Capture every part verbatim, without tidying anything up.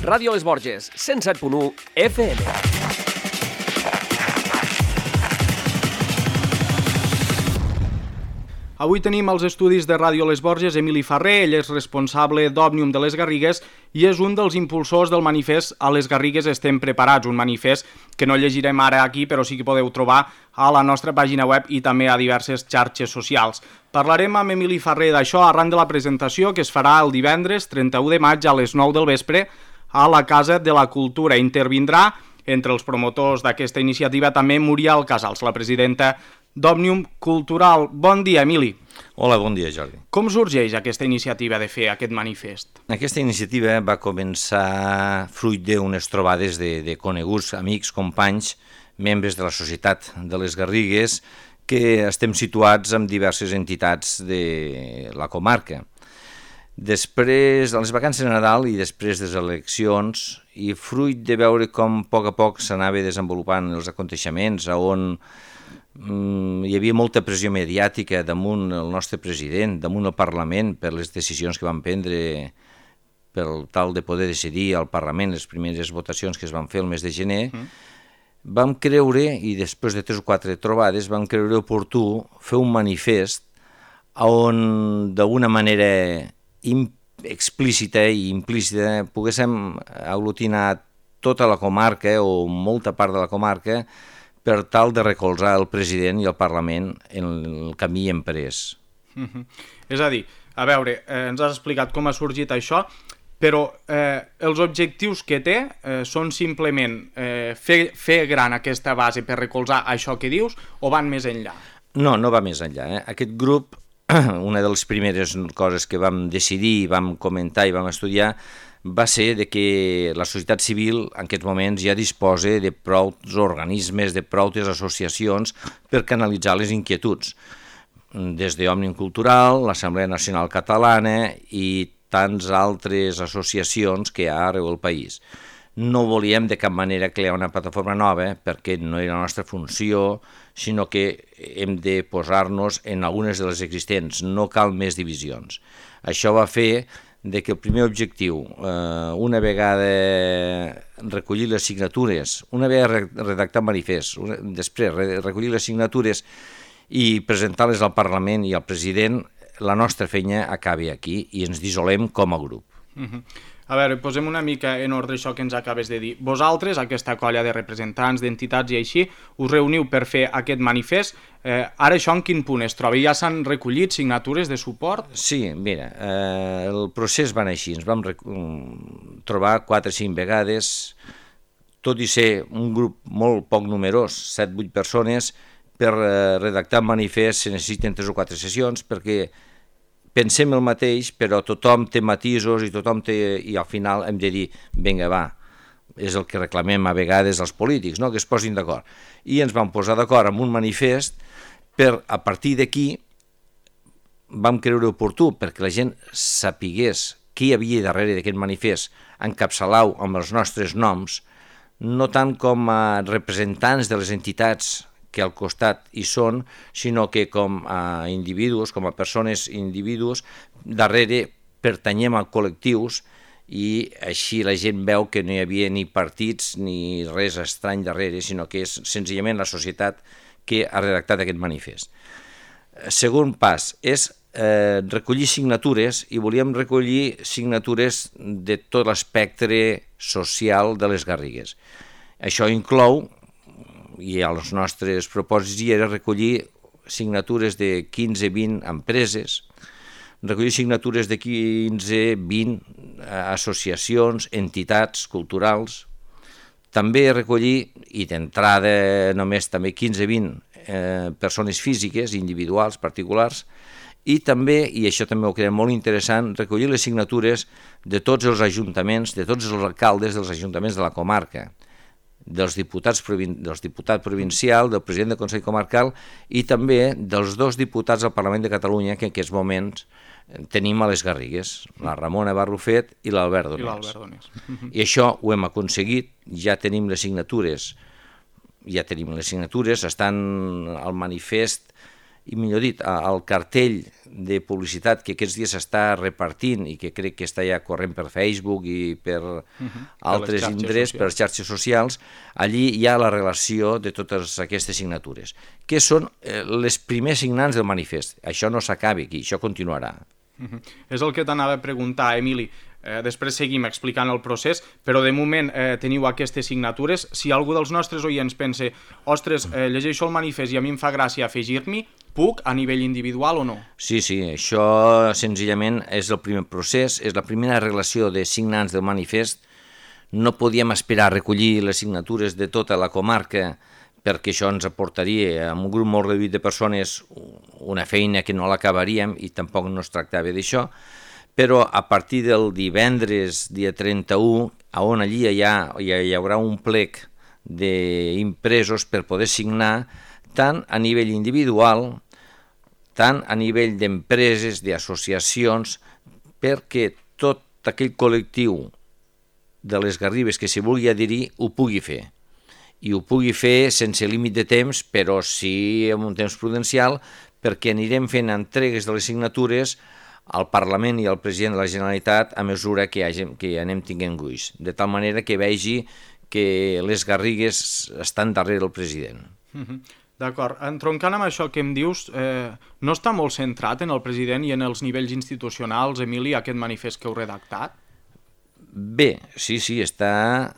Ràdio Les Borges, cent set punt u F M. Avui tenim als estudis de Ràdio Les Borges Emili Ferrer. Ell és responsable d'Òmnium de les Garrigues i és un dels impulsors del manifest A les Garrigues estem preparats, un manifest que no llegirem ara aquí, però sí que podeu trobar a la nostra pàgina web i també a diverses xarxes socials. Parlarem amb Emili Ferrer d'això arran de la presentació que es farà el divendres trenta-u de maig a les nou del vespre a la Casa de la Cultura. Intervindrà entre els promotors d'aquesta iniciativa també Muriel Casals, la presidenta d'Òmnium Cultural. Bon dia, Emili. Hola, bon dia, Jordi. Com sorgeix aquesta iniciativa de fer aquest manifest? Aquesta iniciativa va començar fruit d'unes trobades de, de coneguts, amics, companys, membres de la Societat de les Garrigues, que estem situats en diverses entitats de la comarca. Després de les vacances de Nadal i després de les eleccions, i fruit de veure com a poc a poc s'anava desenvolupant els aconteixements, on mm, hi havia molta pressió mediàtica damunt el nostre president, damunt el Parlament, per les decisions que van prendre per tal de poder decidir al Parlament les primeres votacions que es van fer el mes de gener, mm. vam creure, i després de tres o quatre trobades, vam creure oportú fer un manifest on d'alguna manera explícita i implícita poguéssim aglutinar tota la comarca o molta part de la comarca per tal de recolzar el president i el Parlament en el camí emprès. Mm-hmm. És a dir, a veure, eh, ens has explicat com ha sorgit això, però eh, els objectius que té eh, són simplement eh, fer, fer gran aquesta base per recolzar això que dius o van més enllà? No, no va més enllà. Eh? Aquest grup, una de les primeres coses que vam decidir, vam comentar i vam estudiar, va ser de que la societat civil en aquests moments ja disposa de prou organismes, de prou associacions per canalitzar les inquietuds. Des d'Òmnium Cultural, l'Assemblea Nacional Catalana i tants altres associacions que hi ha arreu del país. No volíem de cap manera crear una plataforma nova perquè no era la nostra funció, sinó que hem de posar-nos en algunes de les existents, no cal més divisions. Això va fer de que el primer objectiu, eh, una vegada recollir les signatures, una vegada redactar manifest, una, després recollir les signatures i presentar-les al Parlament i al president, la nostra feina acabi aquí i ens dissolem com a grup. Uh-huh. A veure, posem una mica en ordre això que ens acabes de dir. Vosaltres, aquesta colla de representants, d'entitats i així, us reuniu per fer aquest manifest. Eh, ara això en quin punt es troba? Ja s'han recollit signatures de suport? Sí, mira, eh, el procés va anar així. Ens vam trobar quatre o cinc vegades, tot i ser un grup molt poc numerós, set o vuit persones, per eh, redactar un manifest se necessiten tres o quatre sessions perquè pensem el mateix, però tothom té matisos i tothom té, i al final hem de dir, vinga, va, és el que reclamem a vegades als polítics, no? Que es posin d'acord. I ens vam posar d'acord amb un manifest per, a partir d'aquí, vam creure oportú, perquè la gent sapigués què hi havia darrere d'aquest manifest, encapçalau amb els nostres noms, no tant com a representants de les entitats que al costat hi són, sinó que com a individus, com a persones individus, darrere pertanyem a col·lectius i així la gent veu que no hi havia ni partits ni res estrany darrere, sinó que és senzillament la societat que ha redactat aquest manifest. Segon pas és eh, recollir signatures i volíem recollir signatures de tot l'espectre social de les Garrigues. Això inclou, i als nostres propòsits hi era recollir signatures de quinze a vint empreses, recollir signatures de quinze a vint associacions, entitats culturals, també recollir, i d'entrada només també quinze a vint eh, persones físiques, individuals, particulars, i també, i això també ho creiem molt interessant, recollir les signatures de tots els ajuntaments, de tots els alcaldes dels ajuntaments de la comarca, dels diputats, dels diputats provincial, del president del Consell Comarcal i també dels dos diputats al Parlament de Catalunya que en aquests moments tenim a les Garrigues, la Ramona Barrufet i l'Albert Donés. I això ho hem aconseguit, ja tenim les signatures, ja tenim les signatures, estan al manifest i millor dit, al cartell de publicitat que aquests dies s'està repartint i que crec que està ja corrent per Facebook i per uh-huh. altres indrets, per xarxes socials, allí hi ha la relació de totes aquestes signatures, que són eh, les primers signants del manifest. Això no s'acaba aquí, això continuarà. Uh-huh. És el que t'anava a preguntar, Emili. Eh, després seguim explicant el procés, però de moment eh, teniu aquestes signatures. Si algú dels nostres oients pensa, ostres, eh, llegeixo el manifest i a mi em fa gràcia afegir-m'hi, puc a nivell individual o no? Sí, sí, això senzillament és el primer procés, és la primera relació de signants del manifest. No podíem esperar a recollir les signatures de tota la comarca perquè això ens aportaria, amb un grup molt reduït de persones, una feina que no l'acabaríem i tampoc no es tractava d'això. Però a partir del divendres, dia trenta-u, on allí hi, ha, hi haurà un plec d'impresos per poder signar tant a nivell individual, tant a nivell d'empreses, d'associacions, perquè tot aquell col·lectiu de les Garrigues que s'hi vulgui adherir ho pugui fer. I ho pugui fer sense límit de temps, però sí en un temps prudencial, perquè anirem fent entregues de les signatures al Parlament i al president de la Generalitat a mesura que, hagem, que anem tinguent gruix, de tal manera que vegi que les Garrigues estan darrere del president. Uh-huh. D'acord. Entroncant amb això que em dius, eh, no està molt centrat en el president i en els nivells institucionals, Emili, aquest manifest que heu redactat? Bé, sí, sí, està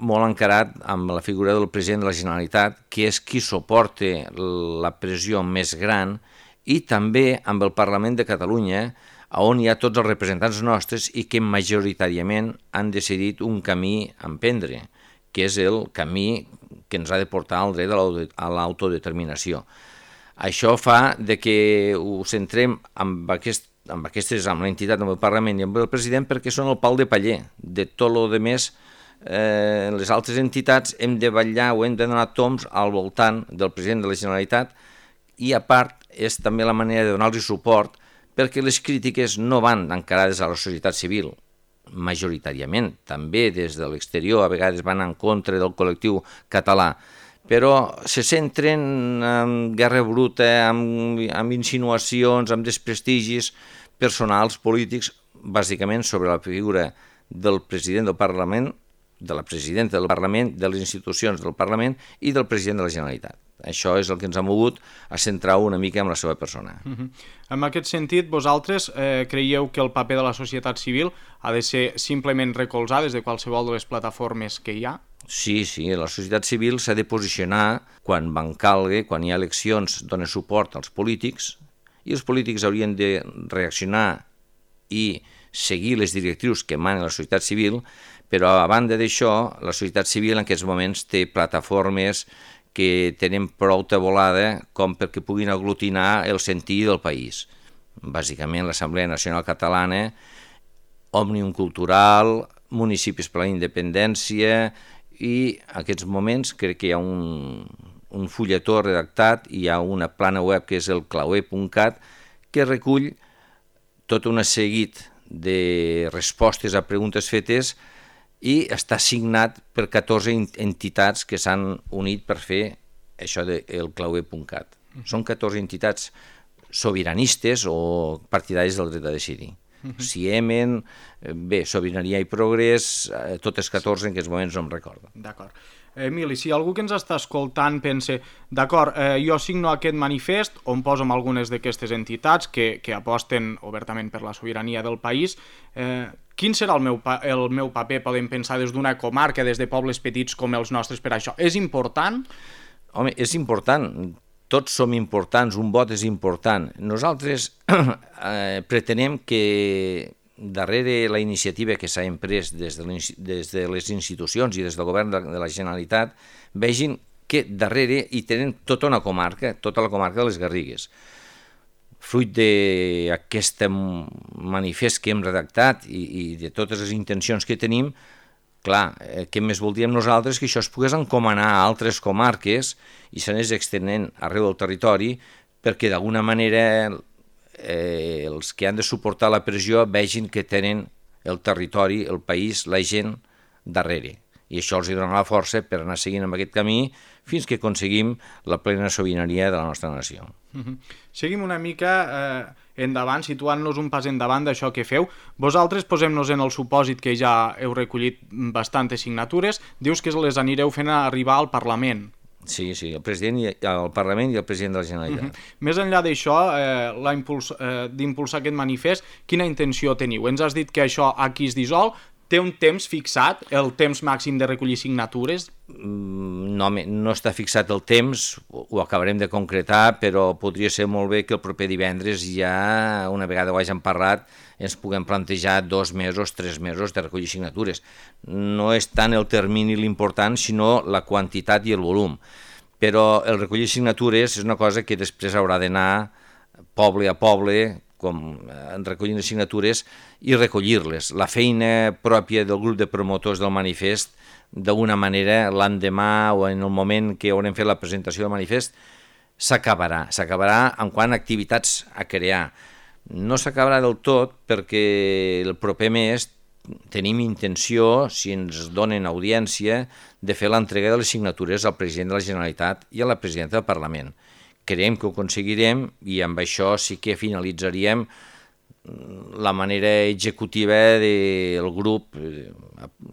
molt encarat amb la figura del president de la Generalitat, que és qui suporta la pressió més gran, i també amb el Parlament de Catalunya, on hi ha tots els representants nostres i que majoritàriament han decidit un camí a emprendre, que és el camí que ens ha de portar al dret a l'autodeterminació. Això fa de que ho centrem amb, aquest, amb aquestes, amb l'entitat, amb el Parlament i amb el president, perquè són el pal de paller. De tot el que més, eh, les altres entitats hem de vetllar o hem de donar toms al voltant del president de la Generalitat, i a part és també la manera de donar-los suport perquè les crítiques no van encarades a la societat civil, majoritàriament, també des de l'exterior, a vegades van en contra del col·lectiu català, però se centren en guerra bruta, en, en insinuacions, en desprestigis personals, polítics, bàsicament sobre la figura del president del Parlament, de la presidenta del Parlament, de les institucions del Parlament i del president de la Generalitat. Això és el que ens ha mogut a centrar una mica en la seva persona. Uh-huh. En aquest sentit, vosaltres eh, creieu que el paper de la societat civil ha de ser simplement recolzar des de qualsevol de les plataformes que hi ha? Sí, sí, la societat civil s'ha de posicionar quan van calgui, quan hi ha eleccions, dona suport als polítics, i els polítics haurien de reaccionar i seguir les directrius que mana la societat civil, però a banda d'això, la societat civil en aquests moments té plataformes que tenen prou tabolada com perquè puguin aglutinar el sentir del país. Bàsicament l'Assemblea Nacional Catalana, Òmnium Cultural, Municipis per la Independència, i en aquests moments crec que hi ha un, un fulletó redactat, hi ha una plana web que és el clauer punt cat, que recull tot un seguit de respostes a preguntes fetes i està signat per catorze entitats que s'han unit per fer això del clauer punt cat. Uh-huh. Són catorze entitats sobiranistes o partidaris del dret a decidir. Uh-huh. Ciemen, bé, Sobirania i Progrés, totes catorze en aquests moments no em recordo. D'acord. Emili, si algú que ens està escoltant pensa, d'acord, eh, jo signo aquest manifest on poso amb algunes d'aquestes entitats que, que aposten obertament per la sobirania del país, eh, quin serà el meu, pa el meu paper, podem pensar, des d'una comarca, des de pobles petits com els nostres per això? És important? Home, és important. Tots som importants, un vot és important. Nosaltres eh, pretenem que darrere la iniciativa que s'ha emprès des de, des de les institucions i des del govern de, de la Generalitat vegin que darrere hi tenen tota una comarca, tota la comarca de les Garrigues. Fruit d'aquest manifest que hem redactat i, i de totes les intencions que tenim, clar, eh, què més voldríem nosaltres que això es pogués encomanar a altres comarques i s'anés extenent arreu del territori perquè d'alguna manera eh, els que han de suportar la pressió vegin que tenen el territori, el país, la gent darrere I això els donarà la força per anar seguint amb aquest camí fins que aconseguim la plena sobirania de la nostra nació. Uh-huh. Seguim una mica eh, endavant, situant-nos un pas endavant d'això que feu. Vosaltres, posem-nos en el supòsit que ja heu recollit bastantes signatures, dius que les anireu fent arribar al Parlament. Sí, sí, el president i el Parlament i el president de la Generalitat. Uh-huh. Més enllà d'això, eh, impuls, eh, d'impulsar aquest manifest, quina intenció teniu? Ens has dit que això aquí es dissol, té un temps fixat, el temps màxim de recollir signatures? No, no està fixat el temps, ho acabarem de concretar, però podria ser molt bé que el proper divendres ja, una vegada ho hagin parlat, ens puguem plantejar dos mesos, tres mesos de recollir signatures. No és tant el termini l'important, sinó la quantitat i el volum. Però el recollir signatures és una cosa que després haurà d'anar poble a poble, com en recollint les signatures i recollir-les. La feina pròpia del grup de promotors del manifest, d'una manera, l'endemà o en el moment que haurem fet la presentació del manifest, s'acabarà. S'acabarà en quant a activitats a crear. No s'acabarà del tot perquè el proper mes tenim intenció, si ens donen audiència, de fer l'entrega de les signatures al president de la Generalitat i a la presidenta del Parlament. Creiem que ho aconseguirem i amb això sí que finalitzaríem la manera executiva del grup.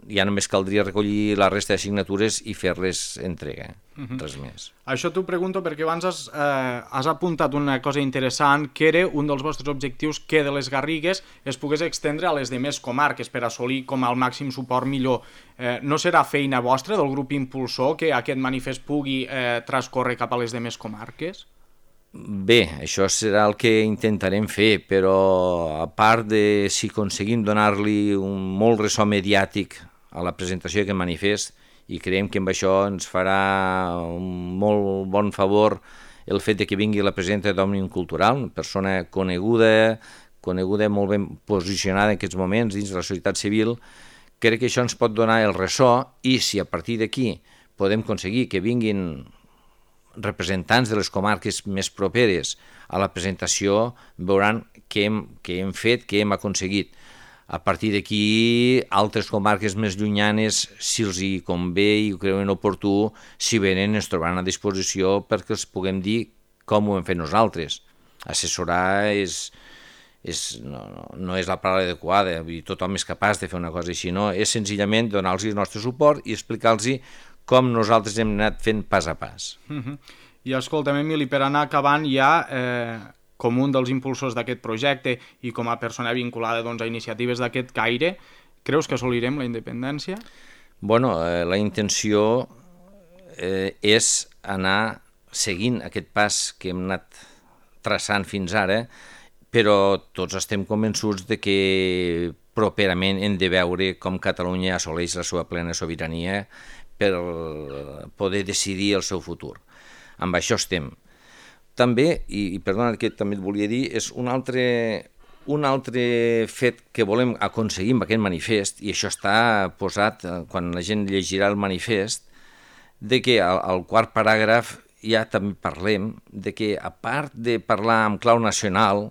Ja només caldria recollir la resta de signatures i fer-les entrega, uh-huh. res més. Això t'ho pregunto perquè abans has, eh, has apuntat una cosa interessant, que era un dels vostres objectius que de les Garrigues es pogués extendre a les demés comarques per assolir com el màxim suport millor. Eh, no serà feina vostra del grup impulsor que aquest manifest pugui eh, transcórrer cap a les demés comarques? Bé, això serà el que intentarem fer, però a part de si aconseguim donar-li un molt ressò mediàtic a la presentació d'aquest manifest, i creiem que amb això ens farà un molt bon favor el fet de que vingui la presidenta d'Òmnium Cultural, una persona coneguda, coneguda molt ben posicionada en aquests moments dins de la societat civil. Crec que això ens pot donar el ressò i si a partir d'aquí podem aconseguir que vinguin representants de les comarques més properes a la presentació, veuran què hem, què hem fet, què hem aconseguit. A partir d'aquí, altres comarques més llunyanes, si els hi convé i ho creuen oportú, si venen ens trobaran a disposició perquè els puguem dir com ho hem fet nosaltres. Assessorar és, és, no, no, no és la paraula adequada, vull dir, tothom és capaç de fer una cosa així, no? És senzillament donar-los el nostre suport i explicar-los com nosaltres hem anat fent pas a pas. Uh-huh. I escolta'm, Emili, per anar acabant ja, eh, com un dels impulsors d'aquest projecte i com a persona vinculada doncs, a iniciatives d'aquest caire, creus que assolirem la independència? Bueno, eh, la intenció eh, és anar seguint aquest pas que hem anat traçant fins ara, però tots estem convençuts de que properament hem de veure com Catalunya assoleix la seva plena sobirania per poder decidir el seu futur. Amb això estem. També, i, i perdona que també et volia dir, és un altre, un altre fet que volem aconseguir amb aquest manifest, i això està posat quan la gent llegirà el manifest, de que al, al quart paràgraf ja també parlem de que a part de parlar en clau nacional,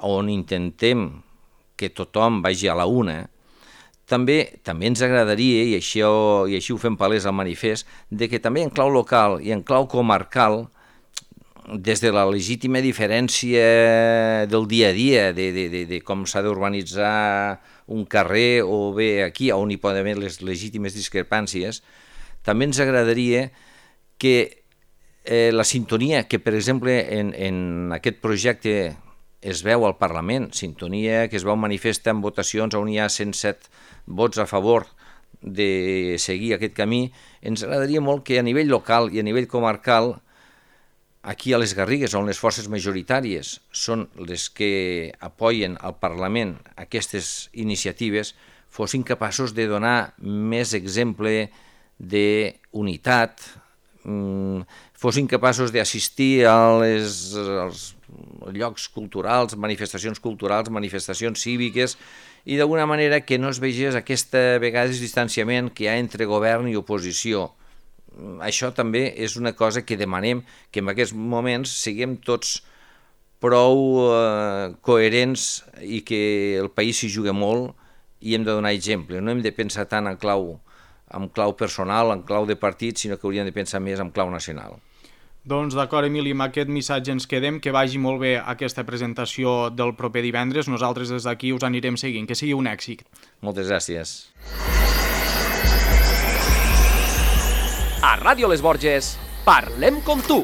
on intentem que tothom vagi a la una, També, també ens agradaria, i així, i així ho fem palès al manifest, de que també en clau local i en clau comarcal, des de la legítima diferència del dia a dia, de, de, de, de com s'ha d'urbanitzar un carrer o bé aquí, on hi poden haver les legítimes discrepàncies, també ens agradaria que eh, la sintonia que, per exemple, en, en aquest projecte es veu al Parlament, sintonia que es veu manifesta en votacions on hi ha cent set vots a favor de seguir aquest camí, ens agradaria molt que a nivell local i a nivell comarcal, aquí a les Garrigues, on les forces majoritàries són les que apoyen al Parlament aquestes iniciatives, fossin capaços de donar més exemple d'unitat, fossin capaços d'assistir a les, als llocs culturals, manifestacions culturals, manifestacions cíviques, i d'alguna manera que no es vegés aquesta vegades distanciament que hi ha entre govern i oposició. Això també és una cosa que demanem, que en aquests moments siguem tots prou eh, coherents i que el país s'hi juga molt i hem de donar exemple. No hem de pensar tant en clau en clau personal, en clau de partit, sinó que haurien de pensar més en clau nacional. Doncs d'acord, Emili, amb aquest missatge ens quedem, que vagi molt bé aquesta presentació del proper divendres, nosaltres des d'aquí us anirem seguint, que sigui un èxit. Moltes gràcies. A Ràdio Les Borges, parlem com tu.